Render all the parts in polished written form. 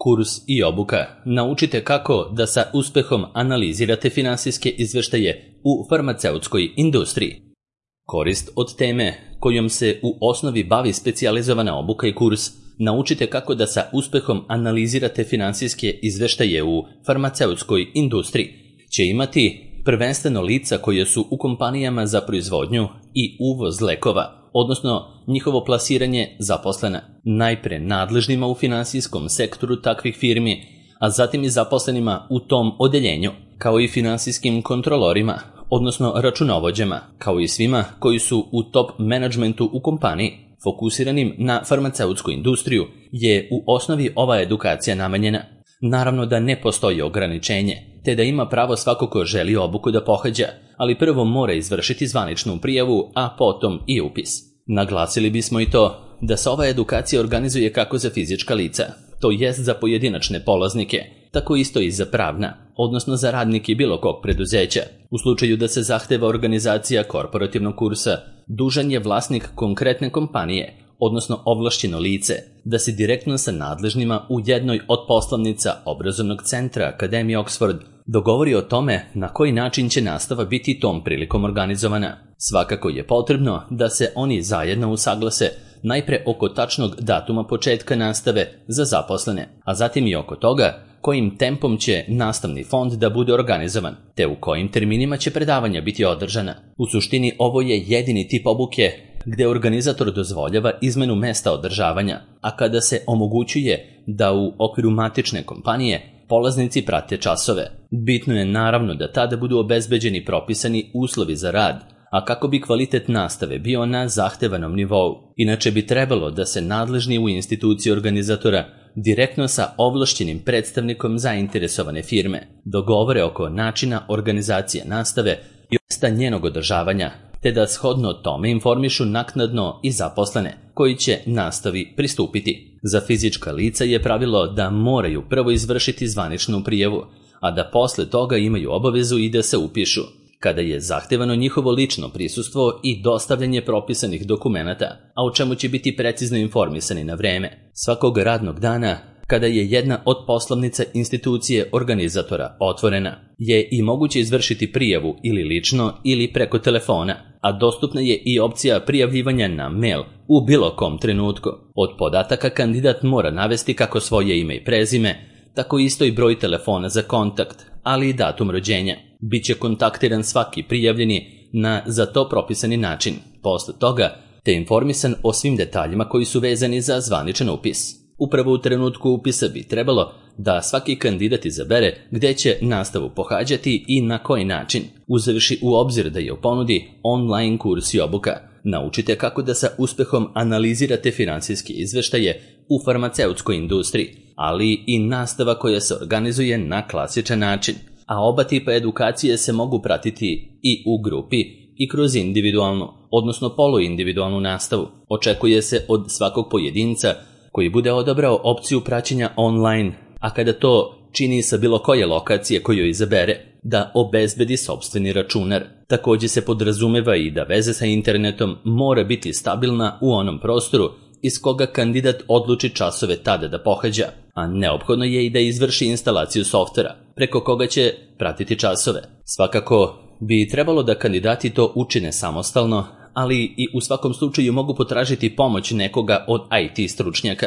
Kurs i obuka. Naučite kako da sa uspehom analizirate finansijske izveštaje u farmaceutskoj industriji. Korist od teme kojom se u osnovi bavi specijalizovana obuka i kurs Naučite kako da sa uspehom analizirate finansijske izveštaje u farmaceutskoj industriji će imati prvenstveno lica koje su u kompanijama za proizvodnju i uvoz lekova, odnosno njihovo plasiranje zaposlena, najpre nadležnima u finansijskom sektoru takvih firmi, a zatim i zaposlenima u tom odeljenju, kao i finansijskim kontrolorima, odnosno računovođama, kao i svima koji su u top menadžmentu u kompaniji. Fokusiranim na farmaceutsku industriju je u osnovi ova edukacija namenjena. Naravno da ne postoji ograničenje, te da ima pravo svako ko želi obuku da pohađa, ali prvo mora izvršiti zvaničnu prijavu, a potom i upis. Naglasili bismo i to da se ova edukacija organizuje kako za fizička lica, to jest za pojedinačne polaznike, tako isto i za pravna, odnosno za radnike bilo kog preduzeća. U slučaju da se zahteva organizacija korporativnog kursa, dužan je vlasnik konkretne kompanije, odnosno ovlašćeno lice, da se direktno sa nadležnima u jednoj od poslovnica obrazovnog centra Akademije Oxford dogovori o tome na koji način će nastava biti tom prilikom organizovana. Svakako je potrebno da se oni zajedno usaglase najpre oko tačnog datuma početka nastave za zaposlene, a zatim i oko toga kojim tempom će nastavni fond da bude organizovan, te u kojim terminima će predavanja biti održana. U suštini ovo je jedini tip obuke gde organizator dozvoljava izmenu mesta održavanja, a kada se omogućuje da u okviru matične kompanije polaznici prate časove. Bitno je naravno da tada budu obezbeđeni propisani uslovi za rad, a kako bi kvalitet nastave bio na zahtevanom nivou. Inače bi trebalo da se nadležni u instituciji organizatora direktno sa ovlašćenim predstavnikom zainteresovane firme dogovore oko načina organizacije nastave i mesta njenog održavanja, te da shodno tome informišu naknadno i zaposlene koji će nastavi pristupiti. Za fizička lica je pravilo da moraju prvo izvršiti zvaničnu prijavu, a da posle toga imaju obavezu i da se upišu, kada je zahtevano njihovo lično prisustvo i dostavljanje propisanih dokumenata, a o čemu će biti precizno informisani na vreme. Svakog radnog dana, kada je jedna od poslovnica institucije organizatora otvorena, je i moguće izvršiti prijavu ili lično ili preko telefona, a dostupna je i opcija prijavljivanja na mail u bilo kom trenutku. Od podataka kandidat mora navesti kako svoje ime i prezime, tako isto i broj telefona za kontakt, ali i datum rođenja. Biće kontaktiran svaki prijavljeni na za to propisani način, posle toga te informisan o svim detaljima koji su vezani za zvaničan upis. Upravo u trenutku upisa bi trebalo da svaki kandidat izabere gde će nastavu pohađati i na koji način, uzevši u obzir da je u ponudi online kurs i obuka. Naučite kako da sa uspehom analizirate finansijske izveštaje u farmaceutskoj industriji, ali i nastava koja se organizuje na klasičan način, a oba tipa edukacije se mogu pratiti i u grupi i kroz individualnu, odnosno poluindividualnu nastavu. Očekuje se od svakog pojedinca koji bude odabrao opciju praćenja online, a kada to čini sa bilo koje lokacije koju izabere, da obezbedi sopstveni računar. Također se podrazumeva i da veza sa internetom mora biti stabilna u onom prostoru iz koga kandidat odluči časove tada da pohađa, a neophodno je i da izvrši instalaciju softvera, preko koga će pratiti časove. Svakako bi trebalo da kandidati to učine samostalno, ali i u svakom slučaju mogu potražiti pomoć nekoga od IT stručnjaka,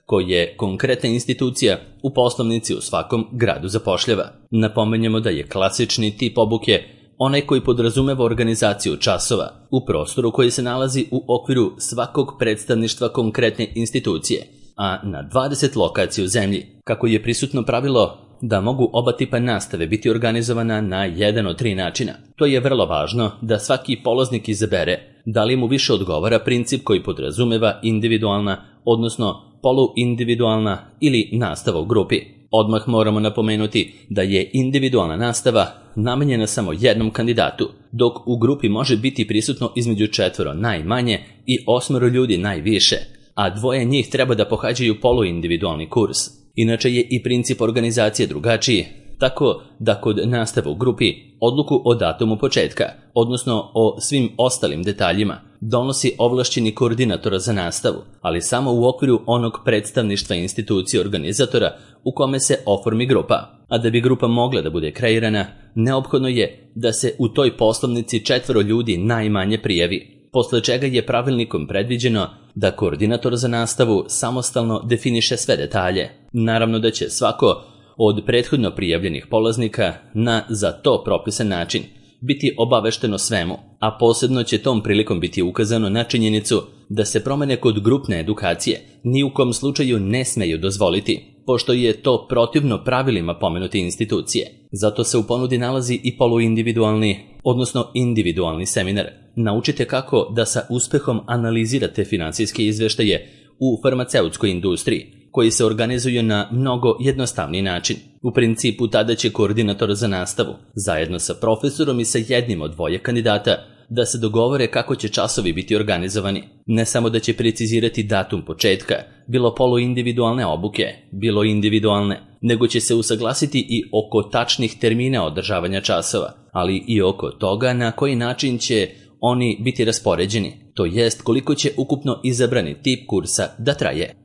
koji je konkretna institucija u poslovnici u svakom gradu zapošljava. Napomenjemo da je klasični tip obuke onaj koji podrazumeva organizaciju časova u prostoru koji se nalazi u okviru svakog predstavništva konkretne institucije, a na 20 lokacija u zemlji. Kako je prisutno pravilo da mogu oba tipa nastave biti organizovana na jedan od 3 načina. To je vrlo važno da svaki polaznik izabere da li mu više odgovara princip koji podrazumeva individualna, odnosno poluindividualna ili nastava u grupi. Odmah moramo napomenuti da je individualna nastava namenjena samo jednom kandidatu, dok u grupi može biti prisutno između 4 najmanje i 8 ljudi najviše, a 2 njih treba da pohađaju poluindividualni kurs. Inače je i princip organizacije drugačiji, tako da kod nastave u grupi odluku o datumu početka, odnosno o svim ostalim detaljima, donosi ovlašćeni koordinator za nastavu, ali samo u okviru onog predstavništva institucije organizatora u kome se oformi grupa. A da bi grupa mogla da bude kreirana, neophodno je da se u toj poslovnici 4 ljudi najmanje prijavi, posle čega je pravilnikom predviđeno da koordinator za nastavu samostalno definiše sve detalje. Naravno da će svako od prethodno prijavljenih polaznika na za to propisan način biti obavešteno svemu, a posebno će tom prilikom biti ukazano na činjenicu da se promene kod grupne edukacije ni u kom slučaju ne smeju dozvoliti, pošto je to protivno pravilima pomenute institucije. Zato se u ponudi nalazi i poluindividualni, odnosno individualni seminar. Naučite kako da sa uspehom analizirate finansijske izveštaje u farmaceutskoj industriji, koji se organizuju na mnogo jednostavniji način. U principu tada će koordinator za nastavu, zajedno sa profesorom i sa jednim od 2 kandidata, da se dogovore kako će časovi biti organizovani. Ne samo da će precizirati datum početka, bilo poluindividualne obuke, bilo individualne, nego će se usaglasiti i oko tačnih termina održavanja časova, ali i oko toga na koji način će oni biti raspoređeni, to jest koliko će ukupno izabrani tip kursa da traje.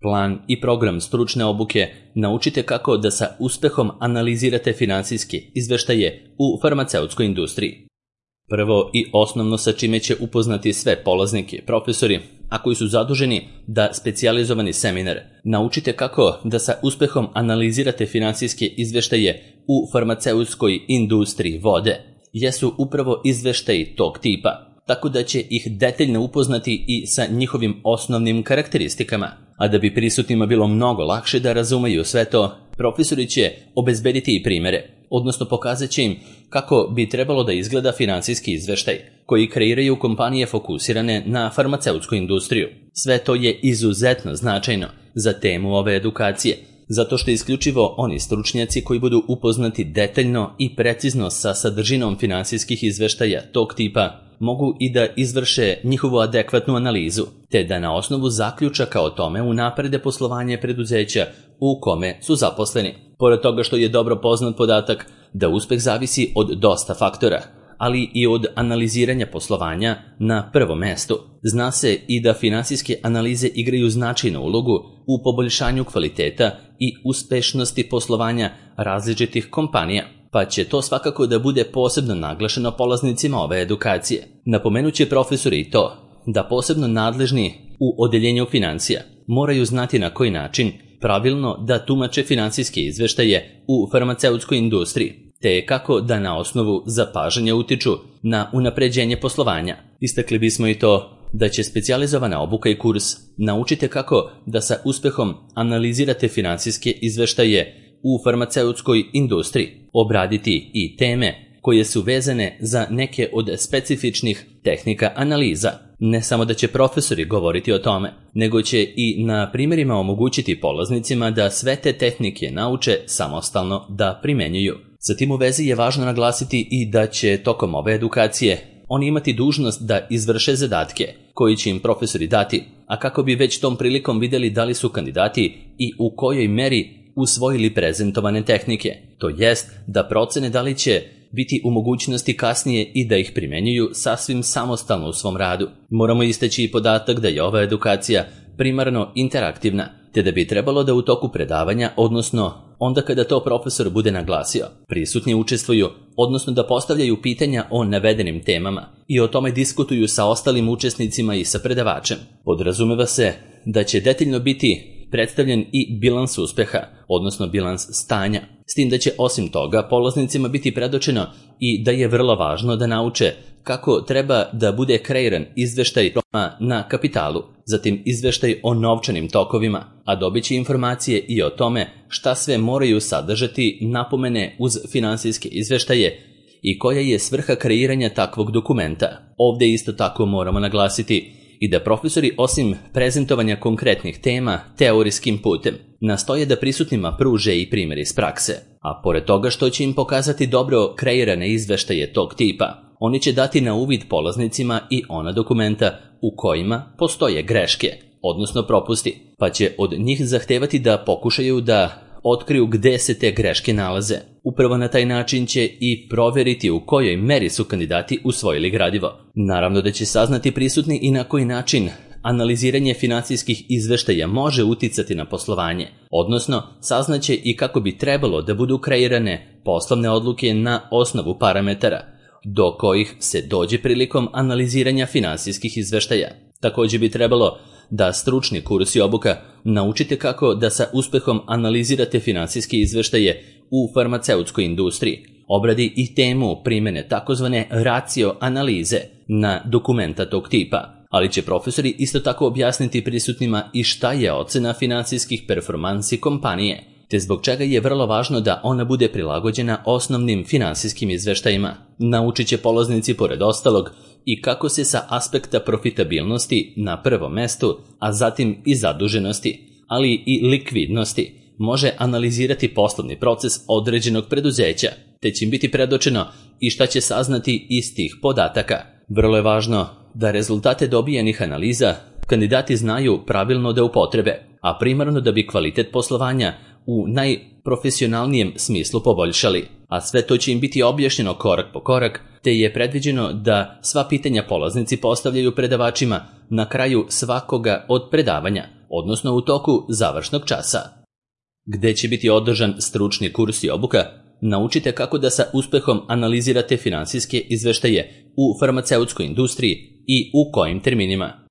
Plan i program stručne obuke naučite kako da sa uspehom analizirate finansijske izveštaje u farmaceutskoj industriji. Prvo i osnovno sa čime će upoznati sve polaznike, profesori, a koji su zaduženi da specijalizovani seminar naučite kako da sa uspehom analizirate finansijske izveštaje u farmaceutskoj industriji vode, jesu upravo izveštaji tog tipa, tako da će ih detaljno upoznati i sa njihovim osnovnim karakteristikama. A da bi prisutnima bilo mnogo lakše da razumeju sve to, profesori će obezbediti i primere, odnosno pokazat će im kako bi trebalo da izgleda finansijski izveštaj koji kreiraju kompanije fokusirane na farmaceutsku industriju. Sve to je izuzetno značajno za temu ove edukacije, zato što isključivo oni stručnjaci koji budu upoznati detaljno i precizno sa sadržinom finansijskih izveštaja tog tipa mogu i da izvrše njihovu adekvatnu analizu, te da na osnovu zaključaka o tome unaprede poslovanje preduzeća u kome su zaposleni. Pored toga što je dobro poznat podatak da uspeh zavisi od dosta faktora, ali i od analiziranja poslovanja na prvom mestu. Zna se i da finansijske analize igraju značajnu ulogu u poboljšanju kvaliteta i uspešnosti poslovanja različitih kompanija, pa će to svakako da bude posebno naglašeno polaznicima ove edukacije. Napomenuće profesori i to da posebno nadležni u odeljenju financija moraju znati na koji način pravilno da tumače finansijske izveštaje u farmaceutskoj industriji, te kako da na osnovu zapažanja utiču na unapređenje poslovanja. Istakli bismo i to da će specijalizovana obuka i kurs naučite kako da sa uspehom analizirate finansijske izveštaje u farmaceutskoj industriji, obraditi i teme koje su vezane za neke od specifičnih tehnika analiza. Ne samo da će profesori govoriti o tome, nego će i na primjerima omogućiti polaznicima da sve te tehnike nauče samostalno da primenjuju. Sa tim u vezi je važno naglasiti i da će tokom ove edukacije oni imati dužnost da izvrše zadatke koji će im profesori dati, a kako bi već tom prilikom vidjeli da li su kandidati i u kojoj meri usvojili prezentovane tehnike, to jest da procene da li će biti u mogućnosti kasnije i da ih primenjuju sasvim samostalno u svom radu. Moramo istaći i podatak da je ova edukacija primarno interaktivna, te da bi trebalo da u toku predavanja, odnosno onda kada to profesor bude naglasio, prisutni učestvuju, odnosno da postavljaju pitanja o navedenim temama i o tome diskutuju sa ostalim učesnicima i sa predavačem. Podrazumeva se da će detaljno biti predstavljen i bilans uspeha, odnosno bilans stanja, s tim da će osim toga polaznicima biti predočeno i da je vrlo važno da nauče kako treba da bude kreiran izveštaj na kapitalu, zatim izveštaj o novčanim tokovima, a dobit će informacije i o tome šta sve moraju sadržati napomene uz finansijske izveštaje i koja je svrha kreiranja takvog dokumenta. Ovdje isto tako moramo naglasiti i da profesori osim prezentovanja konkretnih tema teorijskim putem nastoje da prisutnima pruže i primjer iz prakse, a pored toga što će im pokazati dobro kreirane izveštaje tog tipa, oni će dati na uvid polaznicima i ona dokumenta u kojima postoje greške, odnosno propusti, pa će od njih zahtevati da pokušaju da otkriju gde se te greške nalaze. Upravo na taj način će i proveriti u kojoj meri su kandidati usvojili gradivo. Naravno da će saznati prisutni i na koji način analiziranje finansijskih izveštaja može uticati na poslovanje, odnosno saznaće i kako bi trebalo da budu kreirane poslovne odluke na osnovu parametara, do kojih se dođe prilikom analiziranja finansijskih izveštaja. Također bi trebalo da stručni kurs i obuka naučite kako da sa uspehom analizirate finansijske izveštaje u farmaceutskoj industriji, obradi i temu primjene takozvane racio analize na dokumenta tog tipa, ali će profesori isto tako objasniti prisutnima i šta je ocena finansijskih performansi kompanije, te zbog čega je vrlo važno da ona bude prilagođena osnovnim finansijskim izveštajima. Naučit će polaznici pored ostalog i kako se sa aspekta profitabilnosti na prvom mestu, a zatim i zaduženosti, ali i likvidnosti, može analizirati poslovni proces određenog preduzeća, te će im biti predočeno i šta će saznati iz tih podataka. Vrlo je važno da rezultate dobijenih analiza kandidati znaju pravilno da upotrebe, a primarno da bi kvalitet poslovanja u najprofesionalnijem smislu poboljšali, a sve to će im biti objašnjeno korak po korak, te je predviđeno da sva pitanja polaznici postavljaju predavačima na kraju svakoga od predavanja, odnosno u toku završnog časa. Gde će biti održan stručni kurs i obuka, naučite kako da sa uspehom analizirate finansijske izveštaje u farmaceutskoj industriji i u kojim terminima.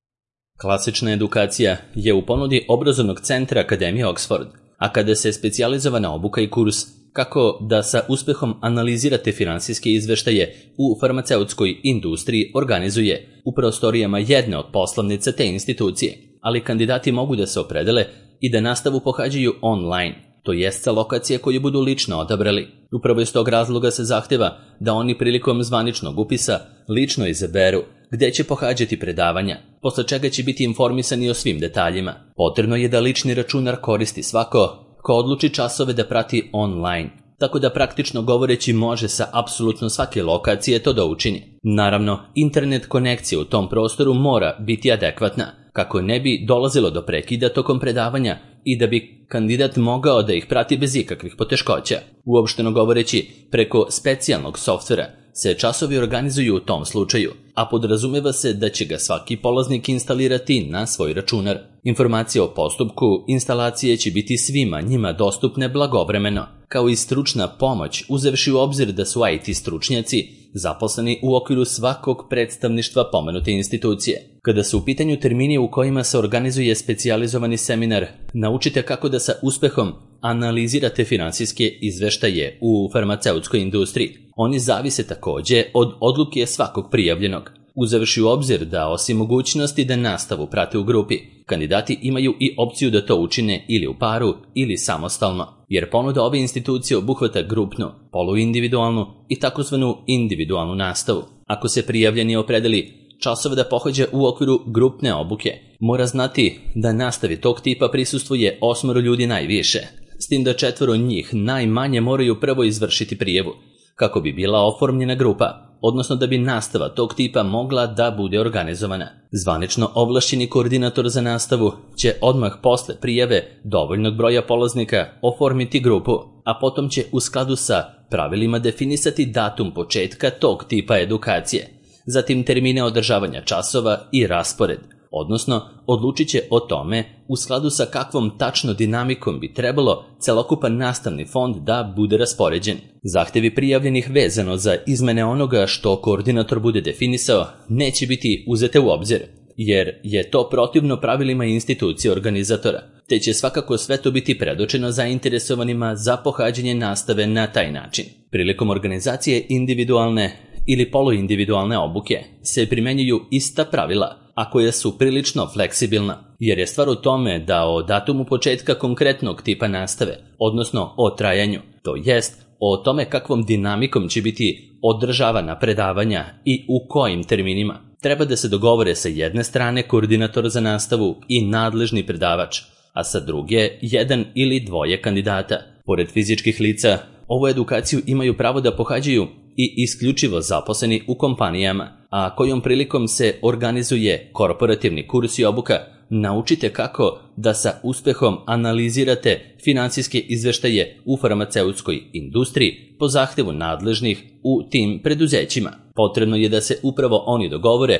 Klasična edukacija je u ponudi obrazovnog centra Akademije Oxford, a kada se specijalizovana obuka i kurs kako da sa uspehom analizirate finansijske izveštaje u farmaceutskoj industriji organizuje u prostorijama jedne od poslovnica te institucije, ali kandidati mogu da se opredele i da nastavu pohađaju online, to jest sa lokacije koju budu lično odabrali. Upravo iz tog razloga se zahteva da oni prilikom zvaničnog upisa lično izaberu gde će pohađati predavanja, posle čega će biti informisani o svim detaljima. Potrebno je da lični računar koristi svako ko odluči časove da prati online, tako da praktično govoreći može sa apsolutno svake lokacije to da učini. Naravno, internet konekcija u tom prostoru mora biti adekvatna, kako ne bi dolazilo do prekida tokom predavanja i da bi kandidat mogao da ih prati bez ikakvih poteškoća. Uopšteno govoreći, preko specijalnog softvera se časovi organizuju u tom slučaju, a podrazumeva se da će ga svaki polaznik instalirati na svoj računar. Informacije o postupku instalacije će biti svima njima dostupne blagovremeno, kao i stručna pomoć, uzevši u obzir da su IT stručnjaci zaposleni u okviru svakog predstavništva pomenute institucije. Kada su u pitanju termini u kojima se organizuje specijalizovani seminar, naučite kako da sa uspehom analizirate finansijske izveštaje u farmaceutskoj industriji. Oni zavise također od odluke svakog prijavljenog. Uzevši u obzir da osim mogućnosti da nastavu prate u grupi, kandidati imaju i opciju da to učine ili u paru ili samostalno, jer ponuda ove institucije obuhvata grupnu, poluindividualnu i takozvanu individualnu nastavu. Ako se prijavljeni opredeli časove da pohađa u okviru grupne obuke, mora znati da nastavi tog tipa prisustvuje 8 ljudi najviše, s tim da 4 njih najmanje moraju prvo izvršiti prijavu, kako bi bila oformljena grupa, odnosno da bi nastava tog tipa mogla da bude organizovana. Zvanično ovlašćeni koordinator za nastavu će odmah posle prijave dovoljnog broja polaznika oformiti grupu, a potom će u skladu sa pravilima definisati datum početka tog tipa edukacije, zatim termine održavanja časova i raspored, odnosno odlučit će o tome u skladu sa kakvom tačno dinamikom bi trebalo celokupan nastavni fond da bude raspoređen. Zahtevi prijavljenih vezano za izmene onoga što koordinator bude definisao neće biti uzete u obzir, jer je to protivno pravilima institucije organizatora, te će svakako sve to biti predočeno zainteresovanima za pohađanje nastave na taj način. Prilikom organizacije individualne ili poluindividualne obuke se primenjuju ista pravila, a koja su prilično fleksibilna, jer je stvar u tome da o datumu početka konkretnog tipa nastave, odnosno o trajanju, to jest o tome kakvom dinamikom će biti održavana predavanja i u kojim terminima, treba da se dogovore sa jedne strane koordinator za nastavu i nadležni predavač, a sa druge jedan ili dvoje kandidata. Pored fizičkih lica, ovu edukaciju imaju pravo da pohađaju i isključivo zaposleni u kompanijama, a kojom prilikom se organizuje korporativni kurs i obuka naučite kako da sa uspehom analizirate finansijske izveštaje u farmaceutskoj industriji po zahtevu nadležnih u tim preduzećima. Potrebno je da se upravo oni dogovore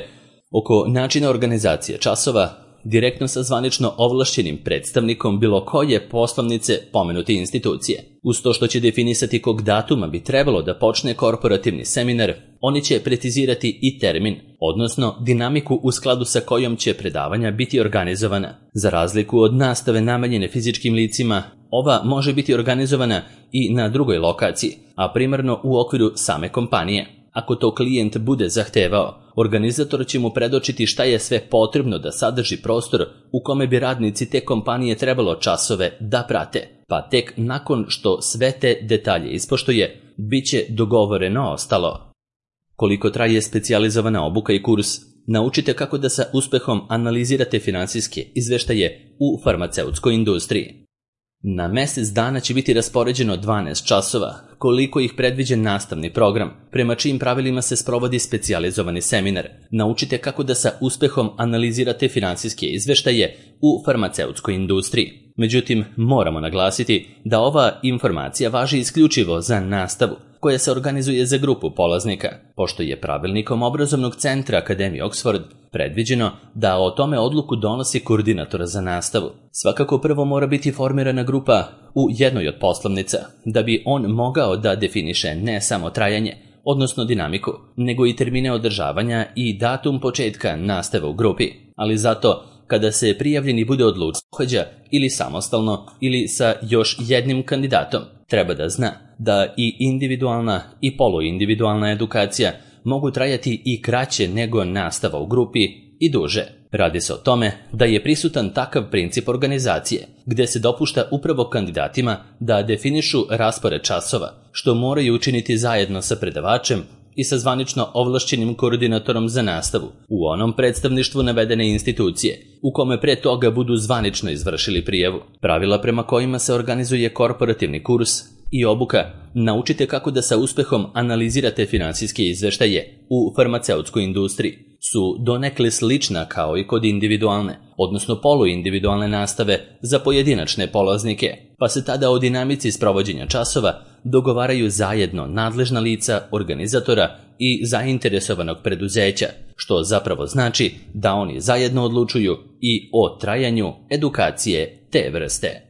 oko načina organizacije časova direktno sa zvanično ovlašćenim predstavnikom bilo koje poslovnice pomenute institucije. Uz to što će definisati kog datuma bi trebalo da počne korporativni seminar, oni će precizirati i termin, odnosno dinamiku u skladu sa kojom će predavanja biti organizovana. Za razliku od nastave namenjene fizičkim licima, ova može biti organizovana i na drugoj lokaciji, a primarno u okviru same kompanije. Ako to klijent bude zahtevao, organizator će mu predočiti šta je sve potrebno da sadrži prostor u kome bi radnici te kompanije trebalo časove da prate, pa tek nakon što sve te detalje ispoštuje, bit će dogovoreno ostalo. Koliko traje specijalizovana obuka i kurs, naučite kako da sa uspehom analizirate finansijske izveštaje u farmaceutskoj industriji. Na mjesec dana će biti raspoređeno 12 časova, koliko ih predviđen nastavni program, prema čijim pravilima se sprovodi specijalizovani seminar. Naučite kako da sa uspehom analizirate finansijske izveštaje u farmaceutskoj industriji. Međutim, moramo naglasiti da ova informacija važi isključivo za nastavu, koja se organizuje za grupu polaznika, pošto je pravilnikom obrazovnog centra Akademije Oxford predviđeno da o tome odluku donosi koordinator za nastavu. Svakako prvo mora biti formirana grupa u jednoj od poslovnica, da bi on mogao da definiše ne samo trajanje, odnosno dinamiku, nego i termine održavanja i datum početka nastave u grupi, ali zato kada se prijavljeni bude odlučio pohađa ili samostalno ili sa još jednim kandidatom, treba da zna da i individualna i poluindividualna edukacija mogu trajati i kraće nego nastava u grupi i duže. Radi se o tome da je prisutan takav princip organizacije, gde se dopušta upravo kandidatima da definišu raspored časova, što moraju učiniti zajedno sa predavačem i sa zvanično ovlašćenim koordinatorom za nastavu u onom predstavništvu navedene institucije, u kome pre toga budu zvanično izvršili prijavu. Pravila prema kojima se organizuje korporativni kurs i obuka naučite kako da sa uspehom analizirate finansijske izveštaje u farmaceutskoj industriji su donekle slična kao i kod individualne, odnosno poluindividualne nastave za pojedinačne polaznike, pa se tada o dinamici sprovođenja časova dogovaraju zajedno nadležna lica, organizatora i zainteresovanog preduzeća, što zapravo znači da oni zajedno odlučuju i o trajanju edukacije te vrste.